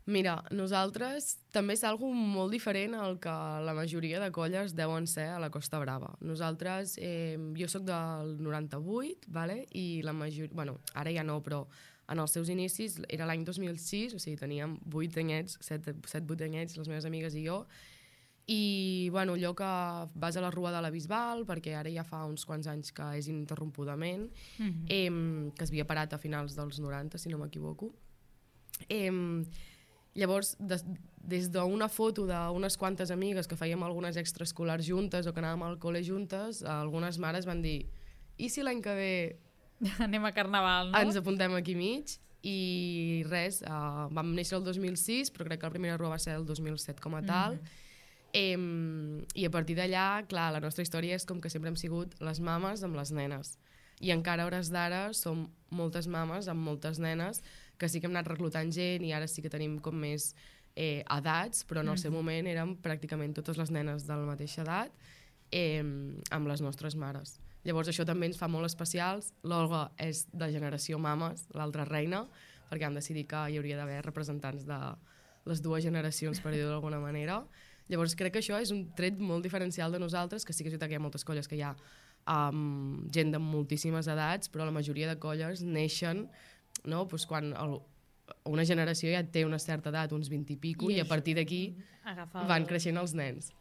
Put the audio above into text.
Mira, nosaltres també és algo molt diferent al que la majoria de colles deuen ser a la Costa Brava. Nosaltres, jo sóc del 98, vale? I la majoria, bueno, ara ja no, però en els seus inicis era l'any 2006, o sigui, teníem 8 anyets, 7-8 anyets, les meves amigues i jo, i bueno, allò que vas a la Rua de la Bisbal, perquè ara ja fa uns quants anys que és ininterrompudament, que es havia parat a finals dels 90, si no m'equivoco. Llavors, des d'una foto d'unes quantes amigues que fèiem algunes extraescolars juntes o que anàvem al col·le juntes, algunes mares van dir i si l'any que ve anem a Carnaval, no? ens apuntem aquí mig? I res, vam néixer el 2006, però crec que la primera rua va ser el 2007 com a tal. I a partir d'allà, clar, la nostra història és com que sempre hem sigut les mames amb les nenes. I encara a hores d'ara som moltes mames amb moltes nenes, que sí que hem anat reclutant gent i ara sí que tenim com més edats, però en el seu moment érem pràcticament totes les nenes de la mateixa edat amb les nostres mares. Llavors això també ens fa molt especials. L'Olga és de generació mames, l'altra reina, perquè vam decidir que hi hauria d'haver representants de les dues generacions, per dir-ho d'alguna manera. Llavors crec que això és un tret molt diferencial de nosaltres, que sí que és veritat que hi ha moltes colles que hi ha gent de moltíssimes edats, però la majoria de colles neixen, no? Pues quan una generació ja té una certa edat, uns 20 i pico, i a partir d'aquí van creixent els nens.